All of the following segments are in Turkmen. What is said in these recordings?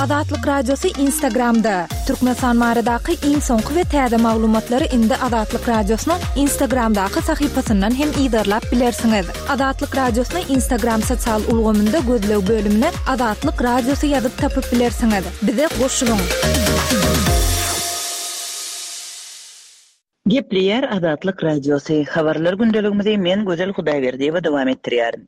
Azatlyk Radiosy Instagramda! Türkmenistan baradaky iň soňky we täze maglumatlary indi Azatlyk Radiosynyň Instagramdaky sahypasyndan hem yzarlap bilersiňiz. Azatlyk Radiosyny Instagram sosial ulgamynda gözleg bölümine Azatlyk Radiosy ýazyp tapyp bilersiňiz. Bize goşulyň! Gepleýär Azatlyk Radiosy, Habarlar gündeligimizi men Gözel Hudaýberdiýewa dowam etdirýärin.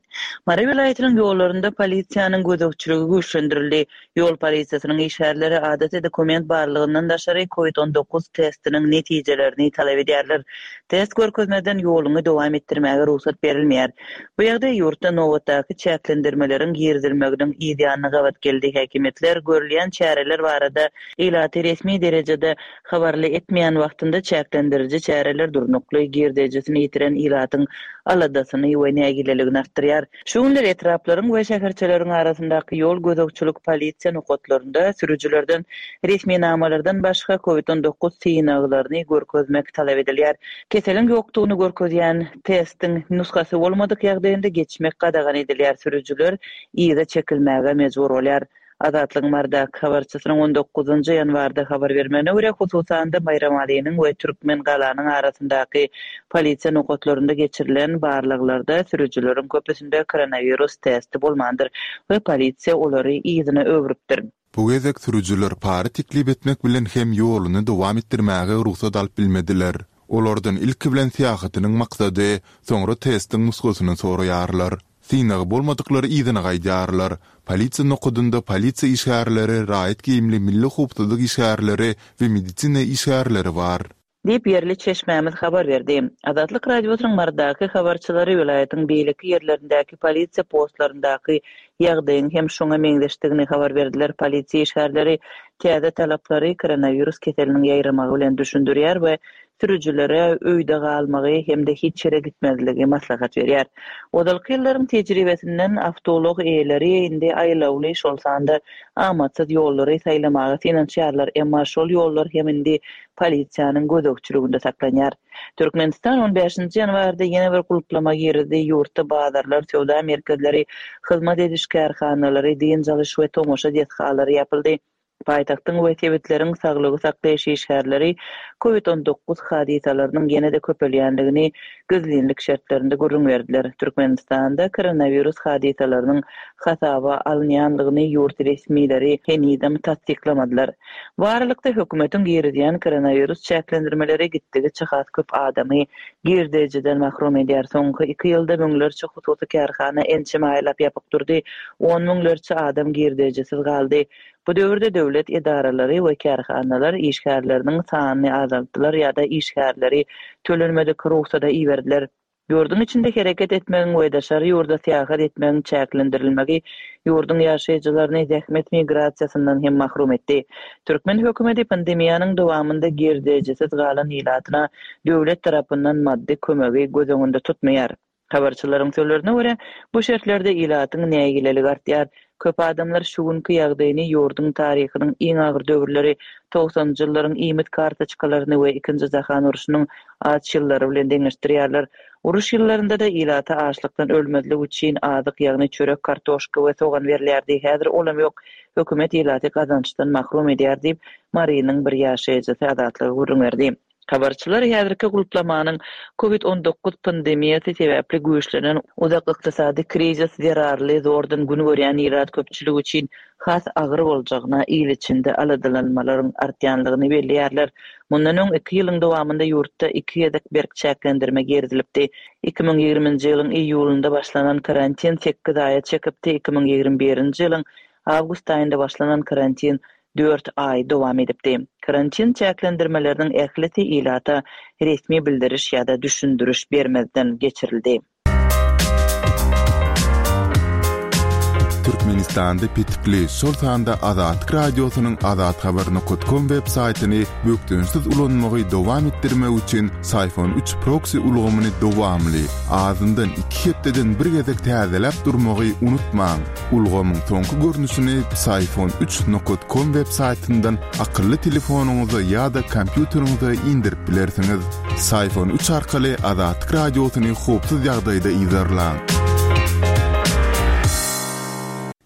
Mary welaýatynyň ýollarynda polisiýanyň gözegçiligi güýçlendirildi. Ýol polisiýasynyň işgärleri adaty dokument barlygyndan daşary Covid 19 testiniň netijelerini talap edýärler. Test görkezmezden ýoluňy dowam etdirmäge rugsat berilmeýär. Bu ýagdaý ýurtda nobatdaky çäklendirmeleriň girizilmeginiň yz ýanyna gabat geldi. Häkimiýetler görülýän çäreler barada ilaty resmi derejede habarly etmeýän wagtynda çäklendiriji çäreler durnukly girdejisini ýitiren ilatyň aladasyny we nägileligini artdyrýar. Şu günler etraplaryň we şäherçeleriň arasyndaky ýol gözegçilik polisiýa nokatlarynda sürüjilerden resminamalardan başga Covid 19 synaglaryny görkezmek talap edilýär. Keseliň ýokdugyny görkezýän testiň nusgasy bolmadyk ýagdaýynda geçmek gadagan edilýär, sürüjiler yza çekilmäge mejbur bolýar. Azatlygyň Marydaky habarçysynyň on dokuzynjy ýanwarda habar bermegine görä, hususan-da, Baýramalynyň we Türkmengalanyň arasyndaky polisiýa nokatlarynda geçirilen barlaglarda sürüjileriň köpüsinde koronawirus testi bolmandyr we polisiýa olary yzyna öwrüpdir. Bu gezek sürüjiler para teklip etmek bilen hem ýoluny dowam etdirmäge rugsat alyp bilmediler. Olardan ilki bilen syýahatynyň maksady, soňra testiň nusgasyny soraýarlar. Synagy bolmadyklar yzyna gaýdýarlar. Polisiýa nokadynda polisiýa işgärleri, raýat geýimli milli howpsuzlyk işgärleri we medisina işgärleri bar. Diýip, ýerli çeşmämiz habar berdi. Azatlyk Radiosynyň Marydaky habarçylary welaýatyň beýleki ýerlerindäki polisiýa postlaryndaky ýagdaýyň hem şoňa meňzeşdigini habar berdiler. Polisiýa işgärleri täze talaplary koronawirus keseliniň ýaýramagy bilen düşündirýär we sürüjilere öýde galmagy hem-de hiç ýere gitmezligi maslahat berýär. Ozalky ýyllaryň tejribesinden awtoulag eýeleri indi aýlawly, şol sanda amatsyz ýollary saýlamaga synanyşýarlar, emma şol ýollar hem indi polisiýanyň gözegçiliginde saklanýar. Türkmenistan on bäşinji ýanwarda ýene bir gulplama girizdi, ýurtda bazarlar, söwda merkezleri, hyzmat ediş kärhanalary, dynç alyş we tomaşa desgalary ýapyldy. Paýtagtyň we sebitleriň saglygy saklaýyş işgärleri Covid 19 hadysalarynyň ýene-de köpelýändigini gizlinlik şertlerinde gürrüň berdiler. Türkmenistanda koronawirus hadysalarynyň hasaba alynýandygyny ýurt resmileri henizem tassyklamadylar. Bu aralykda, hökümetiň girizýän koronawirus çäklendirmeleri gitdigiçe has köp adamy girdejiden mahrum edýär. Soňky iki ýylda müňlerçe hususy kärhana ençeme aýlap ýapyk durdy, on müňlerçe adam girdejisiz galdy. Bu döwürde döwlet edaralary we kärhanalar işgärleriniň sanyny azaltdylar ýa-da işgärleri tölenmedik rugsada iberdiler. Ýurduň içinde hereket etmegiň we daşary ýurda syýahat etmegiň çäklendirilmegi ýurduň ýaşaýjylaryny zähmet migrasiýasyndan hem mahrum etdi. Türkmen hökümeti pandemiýanyň dowamynda girdejisiz galan ilatyna döwlet tarapyndan maddy kömegi göz öňünde tutmaýar. Habarçylaryň sözlerine görä, bu şertlerde ilatyň nägileligi artýar. Köp adamlar şu günki ýagdaýyny ýurduň taryhynyň iň agyr döwürleri, togsanynjy ýyllaryň iýmit kartoçkalaryny we Ikinji jahan urşunyň aç ýyllary bilen deňeşdirýärler. Uruş ýyllarynda-da ilata açlykdan ölmezlik üçin azyk, ýagny çörek, kartoşka we sogan berilýärdi. Häzir olam ýok. Hökümet ilaty gazançdan mahrum edýär diýip, Marynyň bir ýaşaýjysy Azatlyga gürrüň berdi. Habarçylar häzirki gulplamanyň Covid 19 pandemiýasy sebäpli güýçlenen uzak ykdysady krizis zerarly zordan gün görýän ilat köpçüligi üçin has agyr boljagyna il içinde aladalanmalaryň artýanlygyny belleýärler. Mundan öň iki ýylyň dowamynda ýurtda iki gezek berk çäklendirme girizilipdi. 2020-nji ýylyň iýulynda başlanan karantin sekiz aýa çekipdi, 2021-nji ýylyň awgust aýynda başlanan karantin dört aý dowam edipdi. Karantin çäklendirmeleriniň ählisi ilata resmi bildiriş ýa-da düşündiriş bermezden geçirildi. Türkmenistanda petikli, şol sanda Azatlyk Radiosynyň azathabar nokat kom web saýtyny bökdençsiz ulanmagy dowam etdirmek üçin Syfon üç proksi ulgamyny dowamly, azyndan iki hepdeden bir gezek täzeläp durmagy unutmaň. Ulgamyň soňky görnüşini Psiphon üç nokat kom web saýtyndan akylly telefonyňyza ýa-da kompýuteriňize indirip bilersiňiz. Psiphon üç arkaly Azatlyk Radiosyny howpsuz ýagdaýda yzarlaň.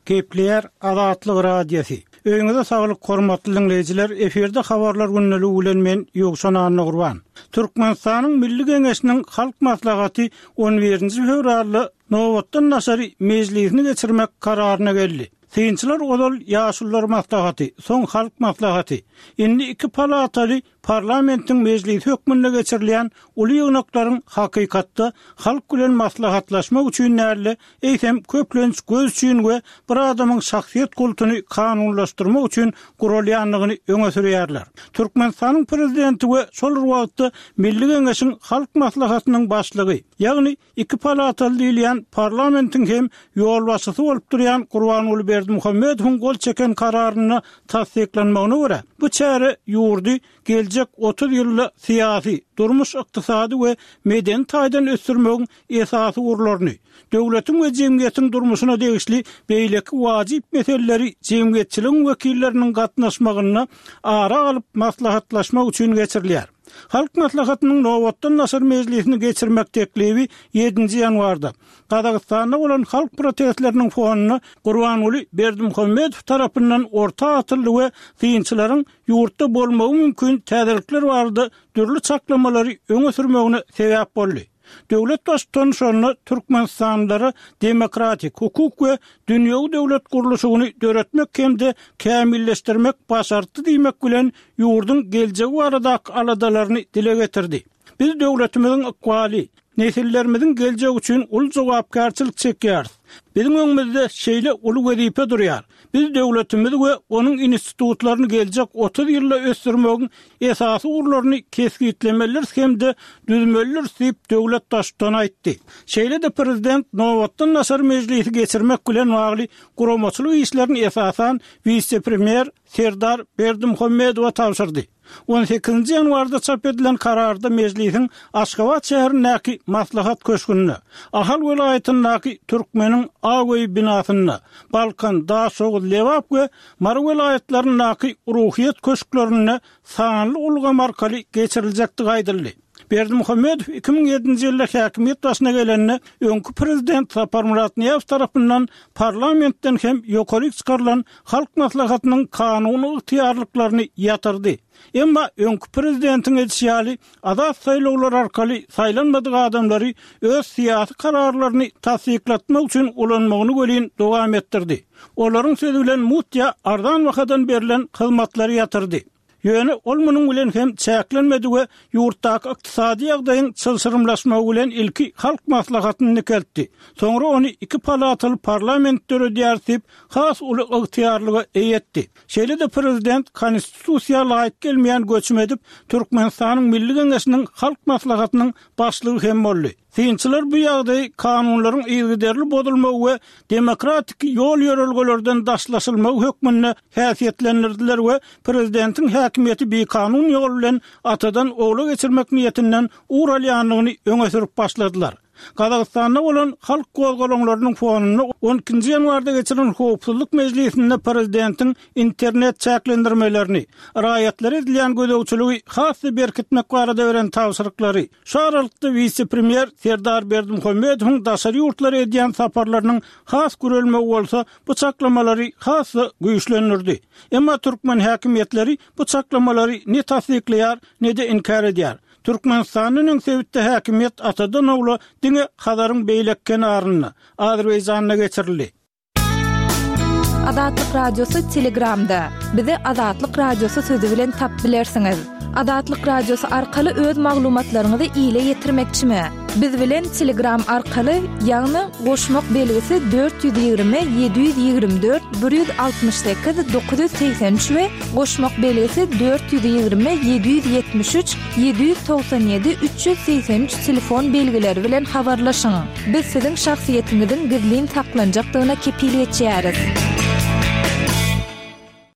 Gepleýär Azatlyk Radiosy. Öýüňize saglyk hormatly diňleýjiler, efirde habarlar gündeligi bilen men Ýowşan Annagurban. Türkmenistanyň Milli Geňeşiniň Halk Maslahaty on birinji fewralda nobatdan daşary mejlisini geçirmek kararyna geldi. Synçylar ozal Ýaşulular maslahaty, soň Halk Maslahaty, indi iki palataly Parlamentiň mejlisi hökmünde geçirilýän uly ýygnaklaryň hakykatda halk bilen maslahatlaşmak üçin däl-de, eýsem, köplenç göz üçin we bir adamyň şahsyýet kultuny kanunlaşdyrmak üçin guralýandygyny öňe sürýärler. Türkmenistanyň Prezidenti we şol bir wagtda Milli Geňeşiň Halk Maslahatynyň Başlygy, ýagny Iki palataly diýilýän parlamentiň hem ýolbaşçysy bolup durýan Gurbanguly Berdimuhamedowyň gol çeken kararynda tassyklanmagyna görä, bu çäre ýurdy geljek 30 ýylda syýasy, durmuş-ykdysady we medeni taýdan ösdürmegiň esasy ugurlaryny, döwletiň we jemgyýetiň durmuşyna degişli beýleki wajyp meseleleri jemgyýetçiligiň wekilleriniň gatnaşmagynda ara alyp maslahatlaşmak üçin geçirilýär. Halk Maslahatynyň nobatdan daşary mejlisini geçirmek teklibi ýedinji ýanwarda, Gazagystanda bolan halk protestleriniň fonunda Gurbanguly Berdimuhamedow tarapyndan orta atyldy we synçylaryň ýurtda bolmagy mümkin täzelikler barada dürli çaklamalary öňe sürmegine sebäp boldy. Döwlet Baştutany şonda türkmenistanlylara demokratik, hukuk we dünýewi döwlet gurluşygyny döretmek hem-de kämilleşdirmek başartdy diýmek bilen, ýurduň geljegi baradaky aladalaryny dile getirdi. Biz döwletimiziň ykbaly, nesillerimiziň geljegi üçin uly jogapkärçilik çekýäris. Biziň öňümizde şeýle uly wezipe durýar. Biz döwletimizi we onuň institutlaryny geljek 30 ýylda ösdürmegiň esasy ugurlaryny kesgitlemelidiris hem-de düzmelidiris diýip, döwlet Baştutany aýtdy. Şeýle-de prezident nobatdan daşary mejlisi geçirmek bilen bagly guramaçylyk işlerini esasan wise-premýer Serdar Berdimuhamedowa tabşyrdy. On sekizinji ýanwarda çap edilen Kararda Mejlisiň Aşgabat şäherindäki Maslahat köşgünde, Ahal welaýatyndaky Türkmeniň Ak öýi binasynda, Balkan, Daşoguz, Lebap we Mary welaýatlaryndaky Ruhyýet köşklerinde sanly ulgam arkaly geçiriljekdigi aýdyldy. Berdimuhamedow 2007-nji ýylda häkimiýet başyna gelende, öňki prezident Saparmyrat Nyýazow tarapyndan parlamentden hem ýokaryk çykarylan Halk Maslahatynyň kanuny ygtyýarlyklaryny ýatyrdy. Emma öňki prezidentiň edişi ýaly, azat saýlawlar arkaly saýlanmadyk adamlary öz syýasy kararlaryny tassyklatmak üçin ulanmagyny welin dowam etdirdi. Olaryň sözi bilen mugt ýa arzan bahadan berlen hyzmatlary ýatyrdy. Ýöne ol munuň bilen hem çäklenmedi we ýurtdaky ykdysady ýagdaýyň çylşyrymlaşmagy bilen ilki Halk Maslahatyny dikeltdi, soňra ony iki palataly parlament döredýäris diýip, has uly ygtyýarlyga eýe etdi. Şeýle-de prezident Konstitusiýa laýyk gelmeýän göçüm edip, Türkmenistanyň Milli Geňeşiniň Halk Maslahatynyň başlygy hem boldy. Synçylar bu ýagdaýy kanunlaryň yzygiderli bozulmagy we demokratik ýol-ýörelgelerden daşlaşylmagy hökmünde häsiýetlendirdiler we prezidentiň häkimiýeti bikanun ýol bilen atadan ogla geçirmek niýetinden ugur alýandygyny öňe sürüp başladylar. Gazagystanda bolan halk gozgalaňlarynyň fonunda on ikinji ýanwarda geçirilen howpsuzlyk mejlisinde prezidentiň internet çäklendirmelerini, raýatlara edilýän gözegçiligi has-da berkitmek barada beren tabşyryklary, Şu aralykda wise-premýer Serdar Berdimuhamedowyň daşary ýurtlara edýän saparlarynyň has gürelmegi bolsa bu çaklamalary has-da güýçlendirdi. Emma türkmen häkimiýetleri bu çaklamalary ne tassyklaýar, ne-de inkär edýär. Türkmenistandan öň sebitde häkimiýet atadan-ogla diňe Hazaryň beýleki kenarynda, Azerbaýjanda geçirildi. Azatlyk Radiosy Telegramda. Bizi Azatlyk Radiosy sözi bilen tap bilersiňiz. Azatlyk Radiosy arkaly öz maglumatlaryňyzy ile ýetirmekçimi? Biz bilen Telegram arkaly, ýagny goşmak belgisi 420 724 168 983 we goşmak belgisi 420 773 797 383 telefon belgileri bilen habarlaşyň. Biz siziň şahsyýetiňiziň gizlin saklanjakdygyna kepil geçýäris.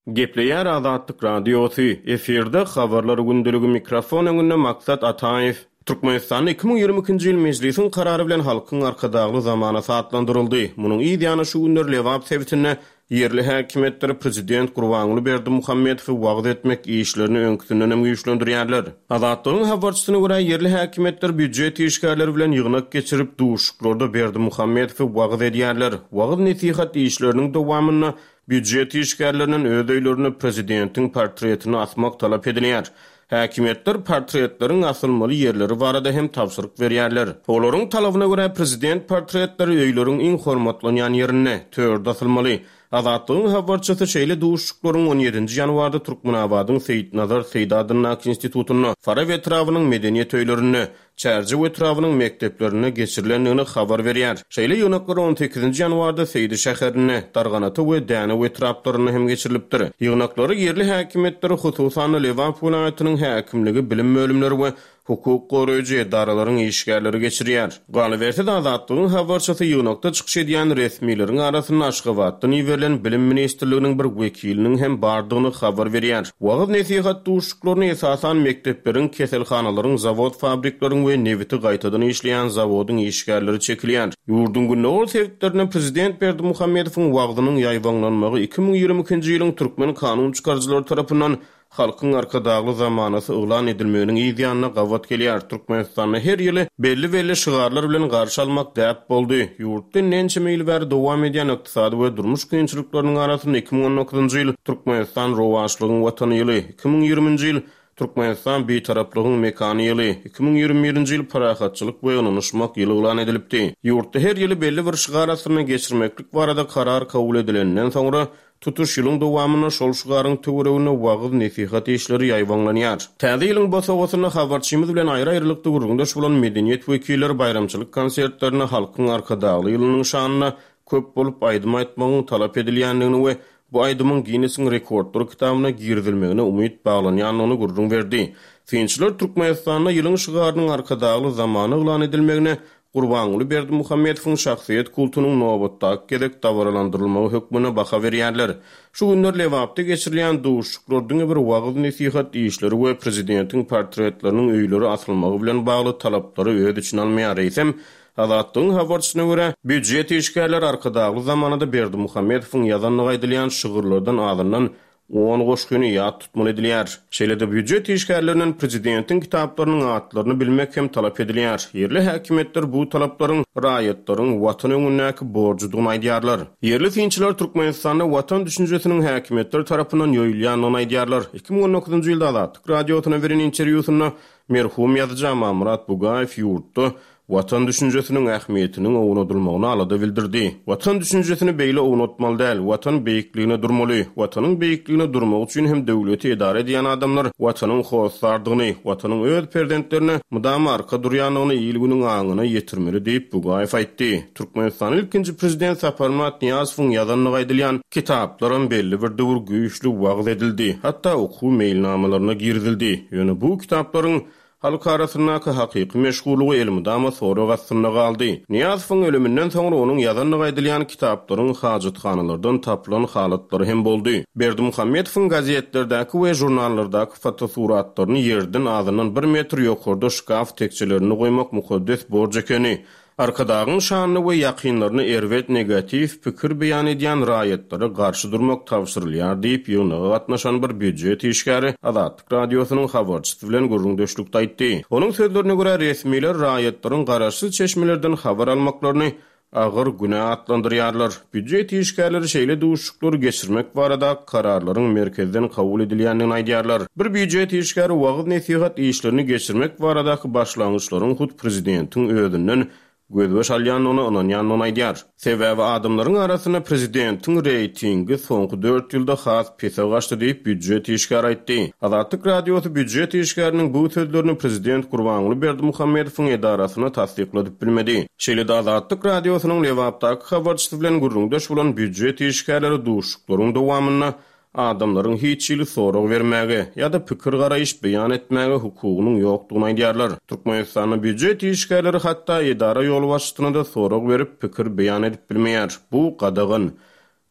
Gepleýär Azatlyk Radiosy, efirde Habarlar gündeligi mikrofon öňünde Maksat Ataýew. Türkmenistanda 2022-nji ýyl Mejlisiň karary bilen Halkyň Arkadagly zamanasy atlandyryldy. Munuň yz ýany şu günler Lebap sebitinde. Ýerli häkimiýetler prezident Gurbanguly Berdimuhamedowy wagyz etmek işlerini öňküsindenem güýçlendirýärler. Azatlygyň habarçysyna görä, ýerli häkimiýetler býujet işgärleri bilen ýygnak geçirip, duşuşyklarda Berdimuhamedowy wagyz edýärler. Wagyz-nesihat işleriniň dowamynda býujet işgärlerinden öz öýlerinde prezidentiň portretini asmak talap edilýär. Häkimiýetler portretleriň asylmaly ýerleri barada hem tabşyryk berýärler. Olaryň talabyna görä, prezident portretleri öýleriň iň hormatlanýan ýerinde, törde asylmaly. Azatlygyň habarçysy şeýle duşuşyklaryň on ýedinji ýanwarda Türkmenabadyň Seýitnazar Seýdi adyndaky institutynda, Farap etrabynyň medeniýet öýlerinde, Çärjew etrabynyň mekdeplerinde geçirilendigini habar berýär. Şeýle ýygnaklar on sekizinji ýanwarda Seýdi şäherinde, Darganata we Dänew etraplarynda hem geçirilipdir. Ýygnaklary ýerli häkimiýetler, hususan-da Lebap welaýatynyň häkimligi, bilim bölümleri we hukuk goraýjy edaralaryň işgärleri geçirýär. Galyberse-de, Azatlygyň habarçysy ýygnakda çykyş edýän resmileriň arasynda Aşgabatdan iberilen Bilim ministrliginiň bir wekiliniň hem bardygyny habar berýär. Wagyz-nesihat duşuşyklaryny esasan mekdepleriň, keselhanalaryň, zawod-fabrikleriň we nebiti gaýtadan işleýän zawodyň işgärleri çekilýär. Ýurduň gündogar sebitlerinde prezident Berdimuhamedowyň wagzynyň ýaýbaňlanmagy 2022-nji ýylyň türkmen kanun çykaryjylary tarapyndan Halkyň Arkadagly zamanasy yglan edilmeginiň yz ýanyna gabat gelýär. Türkmenistanda her ýyly belli-belli şygarlar bilen garşy almak däp boldy. Ýurtda indi ençeme ýyl bäri dowam edýän ykdysady we durmuş kynçylyklarynyň arasynda 2019-njy ýyl Türkmenistan rowaçlygyň Watany ýyly, 2020-nji ýyl Türkmenistan Bitaraplygyň mekany ýyly, 2021-nji ýyl Parahatçylyk we ynanyşmak ýyly yglan edilipdi. Ýurtda her ýyly belli bir şygar astynda geçirmeklik barada karar kabul edileninden soňra, Tutuş ýylyň dowamynda şol şygaryň töwereginde wagyz-nesihat işleri ýaýbaňlanýar. Täze ýylyň bosagasynda habarçymyz bilen aýry-aýrylykda gürrüňdeş bolan medeniýet wekilleri baýramçylyk konsertlerinde Halkyň Arkadagly ýylynyň şanyna köp bolup aýdym aýtmagyň talap edilýändigini we bu aýdymyň Ginnesiň rekordlar kitabyna girizilmegine umyt baglanýandygyny gürrüň berdi. Synçylar Türkmenistanda ýylyň şygarynyň Arkadagly zamana yglan edilmegine Gurbanguly Berdimuhamedowyň şahsyýet kultunyň nobatdaky gezek dabaralandyrylmagy hökmünde baha berýärler. Şu günler Lebapda geçirilýän duşuşyklar diňe bir wagyz-nesihat işleri we prezidentiň portretleriniň öýlere asylmagy bilen bagly talaplary öz içine almaýar, eýsem, Azatlygyň habarçysyna görä, býujet işgärleri Arkadagly zamanada Berdimuhamedowyň ýazandygy aýdylýan şygyrlardan azyndan On goşgyny ýat tutmaly edilýär. Şeýle-de býujet işgärlerinden prezidentiň kitaplarynyň atlaryny bilmek hem talap edilýär. Ýerli häkimiýetler bu talaplaryň raýatlaryň Watan öňündäki borjudygyny aýdýarlar. Ýerli synçylar Türkmenistanda Watan düşünjesiniň häkimiýetler tarapyndan ýoýulýandygyny aýdýarlar. 2019-njy ýylda Azatlyk Radiosyna beren interwýusynda merhum ýazyjy Amanmyrat Bugaýew ýurtda Watan düşünjesiniň ähmiýetiniň ownadylmagyna alada bildirdi. Watan düşünjesini beýle ownatmaly däl. Watan beýikligine durmaly. Watanyň beýikligine durmak üçin hem döwleti edara edýän adamlar Watanyň hossardygyny, Watanyň öz perzentlerine mydama arka durýandygyny il-günüň aňyna ýetirmeli diýip, Bugaýew aýtdy. Türkmenistanyň ilkinji Prezident Saparmyrat Nyýazowyň ýazandygy aýdylýan kitaplaram belli bir döwür güýçli wagyz edildi, hatda okuw meýilnamalaryna girizildi. Ýöne bu kitaplaryň Halk arasyndaky hakyky meşhurlygy elmydama sorag astynda galdy. Nyýazowyň ölüminden soňra onuň ýazandygy aýdylýan kitaplaryň hajathanalardan tapylan halatlary hem boldy. Berdimuhamedowyň gazetlerdäki we žurnallardaky fotosuratlaryny ýerden azyndan bir metr ýokarda şkaf tekjelerinde goýmak mukaddes borç ekeni. Arkadagyň şanyna we ýakynlaryna erbet negatiw pikir beýan edýän raýatlara garşy durmak tabşyrylýar diýip, ýygnaga gatnaşan bir býujet işgäri Azatlyk Radiosynyň habarçysy bilen gürrüňdeşlikde aýtdy. Onuň sözlerine görä, resmiler raýatlaryň garaşsyz çeşmelerden habar almaklaryny agyr günä atlandyrýarlar. Býujet işgärleri şeýle duşuşyklary geçirmek barada kararlaryň merkezden kabul edilýändigini aýdýarlar. Bir býujet işgäri wagyz-nesihat işlerini geçirmek baradaky başlangyçlaryň hut prezidentiň özünden gözbaş alýandygyna ynanýandygyny aýdýar. Sebäbi adamlaryň arasynda prezidentiň reýtingi soňky dört ýylda has pese gaçdy diýip, býujet işgäri aýtdy. Azatlyk Radiosy býujet işgäriniň bu sözlerini prezident Gurbanguly Berdimuhamedowyň edarasyna tassykladyp bilmedi. Şeýle-de Azatlyk Radiosynyň Lebapdaky habarçysy bilen gürrüňdeş bolan býujet işgärleri duşuşyklaryň dowamynda adamlaryň hiç hili sorag bermäge ýa-da pikir-garaýyş beýan etmäge hukugynyň ýokdugyny aýdýarlar. Türkmenistanda býujet işgärleri hatda edara ýolbaşçysyna-da sorag berip, pikir beýan edip bilmeýär. Bu gadagan.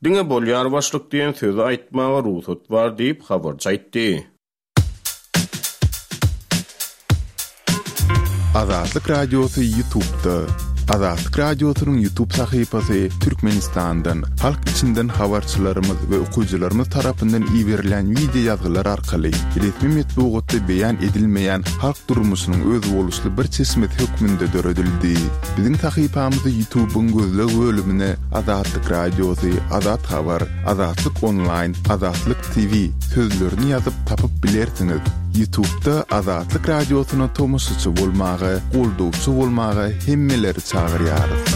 Diňe bolýar başlyk diýen sözi aýtmaga rugsat bar diýip, habarçy aýtdy. Azatlyk Radiosy Ýutubda. Azatlyk Radiosynyň YouTube sahypasy Türkmenistandan, halk içinden habarçylarymyz we okyjylarymyz tarapyndan iberilýän wideo ýazgylar arkaly resmi metbugatda beýan edilmeýän halk durmuşynyň özboluşly bir çeşmesi hökmünde döredildi. Biziň sahypamyzy YouTube-yň gözleg bölümine Azatlyk Radiosy, Azat Habar, Azatlyk Onlaýn, Azatlyk TV sözlerini ýazyp tapyp bilersiňiz. Ýutubda Azatlyk Radiosyna tomaşaçy bolmaga, goldawçy bolmaga hemmeleri çagyrýarys.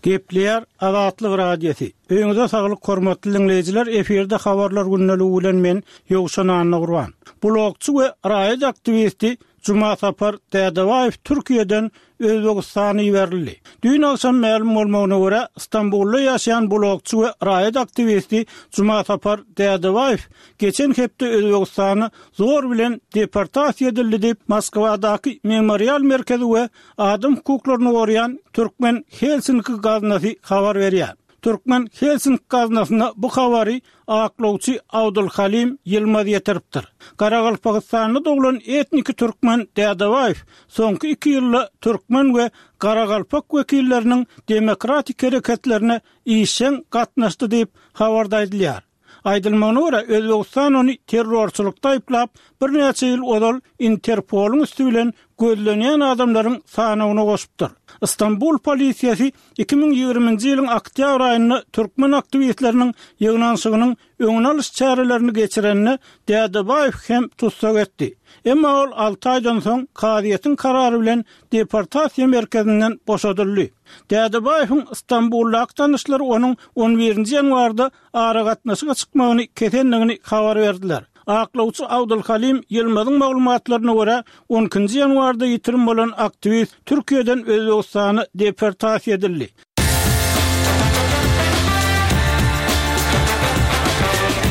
Gepleýär Azatlyk Radiosy. Öýüňize saglyk hormatly diňleýjiler efirde habarlar gündeligi bilen men Ýowşan Annagurban. Blogçy we raýat aktiwisti Jumasapar Dädebaýew Türkiýeden Özbegistana iberildi. Düýn agşam mälim bolmagyna görä, Stambulda ýaşaýan blogçy we raýat aktiwisti Jumasapar Dädebaýew geçen hepde Özbegistana zor bilen deportasiýa edildi diýip, Moskwadaky Memorial merkezi we adam hukuklaryny goraýan Türkmen Helsinki gaznasy habar berýär. Türkmen Helsinki gaznasyna bu habary aklawçy Abdulhalim Ýylmaz ýetiripdir. Garagalpagystanda doglan etniki türkmen Dädebaýew soňky iki ýylda türkmen we garagalpak wekilleriniň demokratik hereketlerine işjeň gatnaşdy diýip, habarda aýdylýar. Aýdylmagyna görä, Özbegistan ony terrorçylykda aýyplap, birnäçe ýyl ozal Interpolyň üsti bilen gözlenýän adamlaryň sanawyna goşupdyr. Stambul polisiýasy 2020-nji ýylyň oktýabr aýynda türkmen aktiwistleriniň ýygnanyşygynyň öňüni alyş çärelerini geçirende Dädebaýew hem tussag etdi. Emma ol alty aýdan soň kazyýetiň karary bilen deportasiýa merkezinden boşadyldy. Dädebaýewiň Stambuldaky tanyşlary onuň on birinji ýanwarda aragatnaşyga çykmagyny kesendigini habar berdiler. Aklawçy Abdulhalim Ýylmazyň maglumatlaryna görä, on ikinji ýanwarda ýitirim bolan aktiwist Türkiýeden Özbegistana deportasiýa edildi.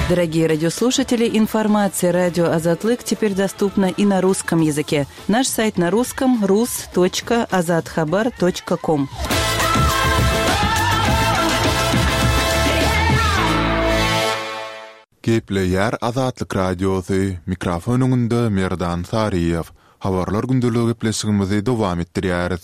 Дорогие радиослушатели, информация радио Азатлык теперь доступна и на русском языке. Наш сайт на русском rus.azathabar.com. Gepleýär Azatlyk Radiosy, mikrofon öňünde Merdan Saryýew. Habarlar gündeligi gepleşigimizi dowam etdirýäris.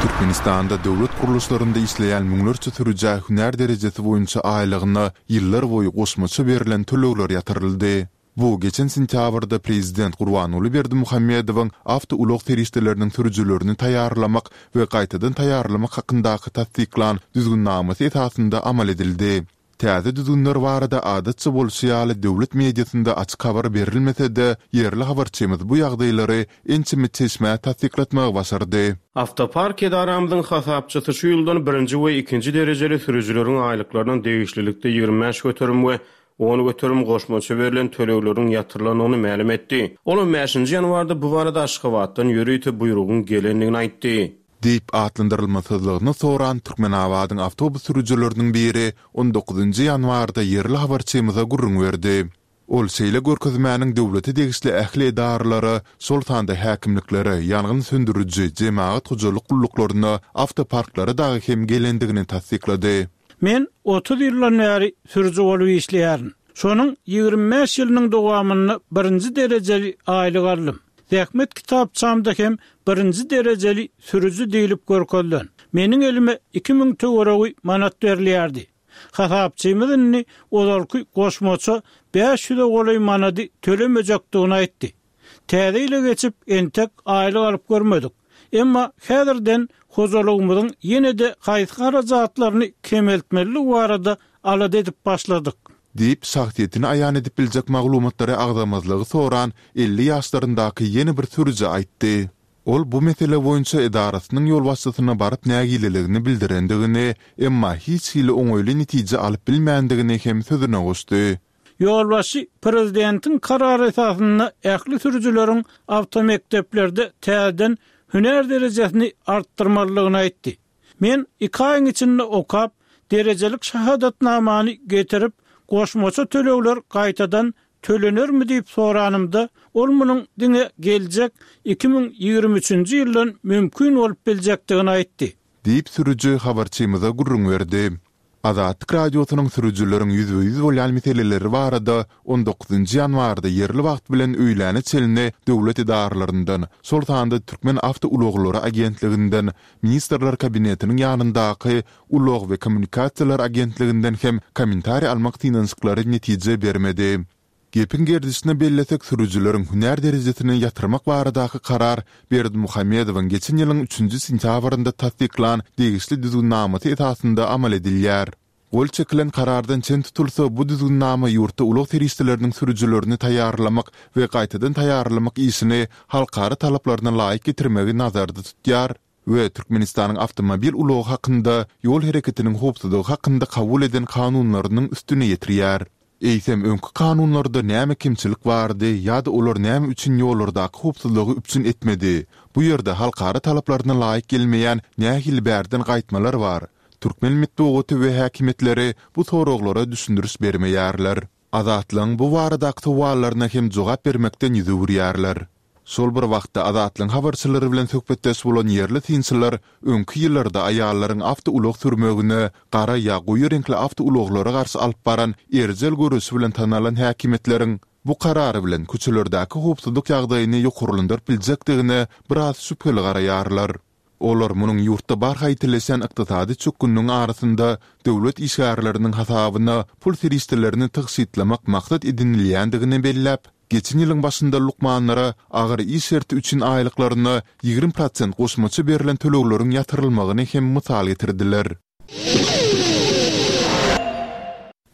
Türkmenistanda döwlet gurluşlarynda işleýän müňlerçe sürüjä hünär derejesi boýunça aýlygyna ýyllar boýy goşmaça berlen tölegler ýatyryldy. Bu geçen sentýabrda prezident Gurbanguly Berdimuhamedowyň awtoulag serişdeleriniň sürüjilerini taýýarlamak we gaýtadan taýýarlamak hakyndaky tassyklan düzgünnamasy esasynda amal edildi. Täze düzgünler barada adatça bolşy ýaly döwlet mediasynda açyk habar berilmese-de, ýerli habarçymyz bu ýagdaýlary ençeme çeşmä tassyklatmagy başardy. Awtopark edaramyzyň hasapçysy şu ýyldan birinji we ikinji derejeli sürüjileriň aýlyklaryna degişlilikde 25% we 10% goşmaça berlen tölegleriň ýatyrylandygyny mälim etdi. Ol on bäşinji ýanwarda bu barada Aşgabatdan ýörite buýrugyň gelendigini aýtdy. Diýip atlandyrylmasyzlygyny soran Türkmenabadyň awtobus sürüjileriniň biri on dokuzynjy ýanwarda ýerli habarçymyza gürrüň berdi. Ol şeýle görkezmäniň döwlete degişli ähli edaralara, şol sanda häkimliklere, ýangyn söndüriji, jemagat hojalyk gulluklaryna, awtoparklara dagy hem gelendigini tassyklady. Men 30 ýyldan bäri sürüji bolup işleýärin. Şonuň 25 ýylynyň dowamynda birinji derejeli aýlyk aldym. Zähmet kitapçamda hem birinji derejeli sürüji diýlip görkezilen. Meniň elime 2000 töweregi manat berilýärdi. Hasapçymyz indi ozalky goşmaça 500-e golaý manady tölemejekdigini aýtdy. Täze ýyla geçip, entek aýlyk alyp görmedik. Emma häzirden hojalygymyzyň ýene-de haýsy harajatlaryny kemeltmelidigi barada alada edip başladyk. Diýip, şahsyýetini aýan edip biljek maglumatlary agzamazlygy soran 50 ýaşlaryndaky ýene bir sürüji aýtdy. Ol bu mesele boýunça edarasynyň ýolbaşçysyna baryp nägileligini bildirendigini, emma hiç hili oňaýly netije alyp bilmändigini hem sözüne goşdy. Ýolbaşçy prezidentiň karary esasynda ähli sürüjileriň awtomekdeplerde täzeden hünär derejesini artdyrmalydygyny aýtdy. Men iki aýyň içinde okap, derejelik şahadatnamany getirip, goşmaça tölegler gaýtadan tölenermi diýip soranymda, ol munuň diňe geljek 2023-nji ýyldan mümkin bolup biljekdigini aýtdy. Diýip, sürüji habarçymyza gürrüň berdi. Azatlyk Radiosynyň sürüjileriň ýüzbe-ýüz bolýan meseleleri barada on dokuzynjy ýanwarda ýerli wagt bilen öýläne çenli döwlet edaralaryndan, şol sanda Türkmen awtoulaglary agentliginden, Ministrler Kabinetiniň ýanyndaky Ulag we kommunikasiýalar agentliginden hem kommentariý almak synanyşyklary netije bermedi. Gepiň gerdişine bellesek, sürüjileriň hünär derejesini ýatyrmak baradaky karar Berdimuhamedowyň geçen ýylyň üçünji sentýabrynda tassyklan degişli düzgünnamasy esasynda amal edilýär. Gol çekilen karardan çen tutulsa, bu düzgünnama ýurtda ulag serişdeleriniň sürüjilerini taýýarlamak we gaýtadan taýýarlamak işini halkara talaplaryna laýyk getirmegi nazarda tutýar we Türkmenistanyň Awtomobil ulagy hakynda, Ýol hereketiniň howpsuzlygy hakynda kabul eden kanunlarynyň üstüni ýetirýär. Eýsem, öňki kanunlarda näme kemçilik bardy ýa-da olar näme üçin ýollardaky howpsuzlygy üpjün etmedi? Bu ýerde halkara talaplaryna laýyk gelmeýän nähili bärden gaýtmalar bar? Türkmen metbugaty we häkimiýetleri bu soraglara düşündiriş bermeýärler. Azatlygyň bu baradaky sowallaryna hem jogap bermekden ýüz öwürýärler. Şol bir wagtda, Azatlygyň habarçylary bilen söhbetdeş bolan ýerli synçylar öňki ýyllarda aýallaryň awtoulag sürmegine, gara ýa goýy reňkli awtoulaglara garşy alyp baran erjel göreşi bilen tanalan häkimiýetleriň bu karary bilen köçelerdäki howpsuzlyk ýagdaýyny ýokarlandyryp biljekdigine biraz şübheli garaýarlar. Olar munuň ýurtda barha ýitileşýän ykdysady çökgünligiň arasynda döwlet işgärleriniň hasabyna pul serişdelerini tygşytlamak maksat edinilýändigini belläp, geçen ýylyň başynda lukmanlara agyr iş şerti üçin aýlyklaryna 20 prosent goşmaça berlen tölegleriň ýatyrylmagyny hem mysal getirdiler.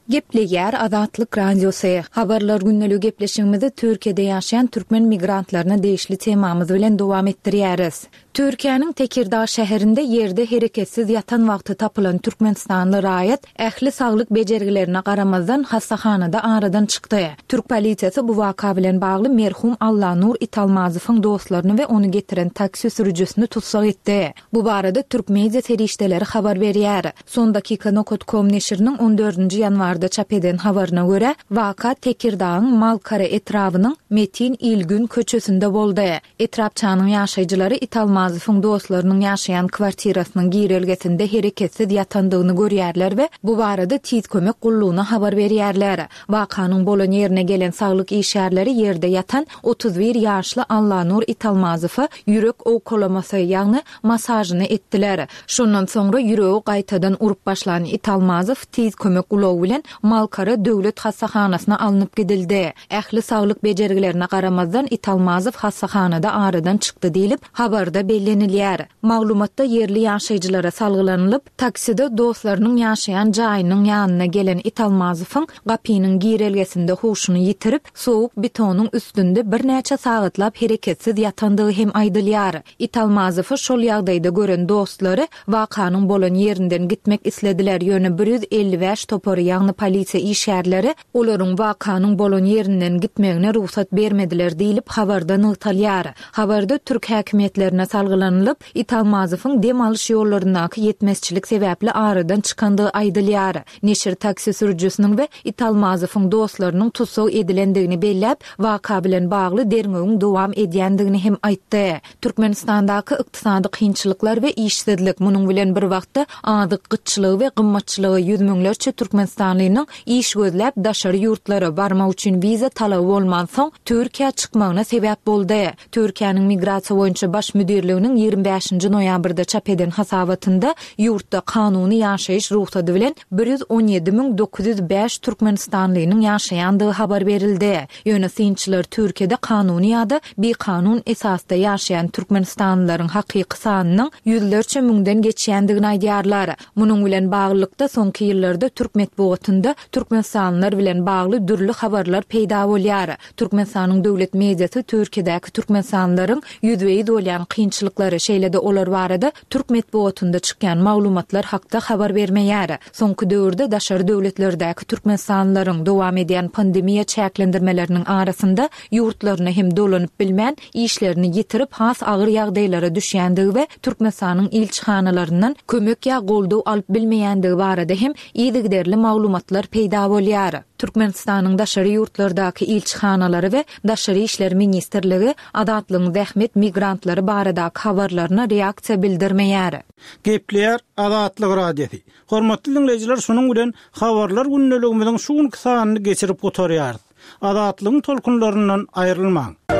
Gepleýär Azatlyk Radiosy. Habarlar gündeligi gepleşigimizi Türkiýede ýaşaýan türkmen migrantlaryna degişli temamyz bilen dowam etdirýäris. Türkiýäniň Tekirdag şäherinde ýerde hereketsiz ýatan wagty tapylan türkmenistanly raýat ähli saglyk bejergilerine garamazdan hassahanada aradan çykdy. Türk polisiýasy bu waka bilen bagly merhum Allanur Italmazowyň dostlaryny we ony getiren taksi sürüjisini tussag etdi. Bu barada türk media serişdeleri habar berýär. Sondakika nokat kom neşiriniň on dördünji ýanwarda çap eden habaryna görä, waka Tekirdagyň Malkara etrabynyň Metin Ilgün köçesinde boldy. Etrapçanyň ýaşaýjylary Italmazowyň dostlarynyň ýaşaýan kwartirasynyň girelgesinde hereketsiz ýatandygyny görýärler we bu barada Tiz kömek gullugyna habar berýärler. Wakanyň bolan ýerine gelen saglyk işgärleri ýerde ýatan 31 ýaşly Allanur Italmazowa ýürek owkalamasy, ýagny massažyny etdiler. Şondan soňra ýüregi gaýtadan urup başlan Italmazow tiz kömek ulagy bilen Malkara döwlet hassahanasyna alnyp gidildi. Ähli saglyk bejergilerine garamazdan Italmazow hassahanada aradan çykdy diýlip, habarda bellenilýär. Maglumatda ýerli ýaşaýjylara salgylanylyp, takside dostlarynyň ýaşaýan jaýynyň ýanyna gelen Italmazowyň gapynyň girelgesinde huşuny ýitirip, sowuk betonyň üstünde birnäçe sagatlap hereketsiz ýatandygy hem aýdylýar. Italmazowy şol ýagdaýda gören dostlary wakanyň bolan ýerinden gitmek islediler, ýöne 155 topary, ýagny polisiýa işgärleri olaryň wakanyň bolan ýerinden gitmegine rugsat bermediler diýlip, habarda nygtalýar. Habarda türk häkimiýetlerine salgylanylyp, Italmazowyň dem alyş ýollaryndaky ýetmezçilik sebäpli aradan çykandygy aýdylýar. Neşir taksi sürüjisiniň we Italmazowyň dostlarynyň tussag edilendigini belläp, waka bilen bagly derňewiň dowam edýändigini hem aýtdy. Türkmenistandaky ykdysady kynçylyklar we işsizlik, munuň bilen bir wagtda azyk gytçylygy we gymmatçylygy ýüz müňlerçe türkmenistanlynyň iş gözläp daşary ýurtlara barmak üçin wiza talaby bolmansoň, Türkiýä çykmagyna sebäp boldy. Türkiýäniň Migrasiýa boýunça baş müdirliginiň 25-nji noýabrda çap eden hasabatynda ýurtda kanuny ýaşaýyş rugsady bilen 117 905 türkmenistanlynyň ýaşaýandygy habar berildi. Ýöne synçylar Türkiýede kanuny ýa-da bikanun esasda ýaşaýan türkmenistanlylaryň hakyky sanynyň ýüzlerçe müňden geçýändigini aýdýarlar. Munuň bilen baglylykda, soňky ýyllarda türk metbugatynda türkmenistanlylar bilen bagly dürli habarlar peýda bolýar. Türkmenistanyň döwlet mediasy Türkiýedäki türkmenistanlylaryň ýüzbe-ýüz bolýan kynçylyklary, şeýle-de olar barada türk metbugatynda çykýan maglumatlar hakda habar bermeýär. Soňky döwürde daşary döwletlerdäki türkmenistanlylaryň, dowam edýän pandemiýa çäklendirmeleriniň arasynda ýurtlaryna hem dolanyp bilmän, işlerini ýitirip, has agyr ýagdaýlara düşýändigi we Türkmenistanyň ilçihanalaryndan kömek ýa goldaw alyp bilmeýändigi barada hem yzygiderli maglumatlar. atlar peýda bolýar. Türkmenistanyň daşary ýurtlardaky ilçihanalary we Daşary işler ministrligi Azatlygyň zähmet migrantlary baradaky habarlaryna reaksiýa bildirmeýär. Gepleýär Azatlyk Radiosy. Hormatly diňleýjiler şunuň bilen Habarlar gündeligimiziň şu günki sanyny geçirip gutarýarys. Azatlygyň tolkunlaryndan aýrylmaň.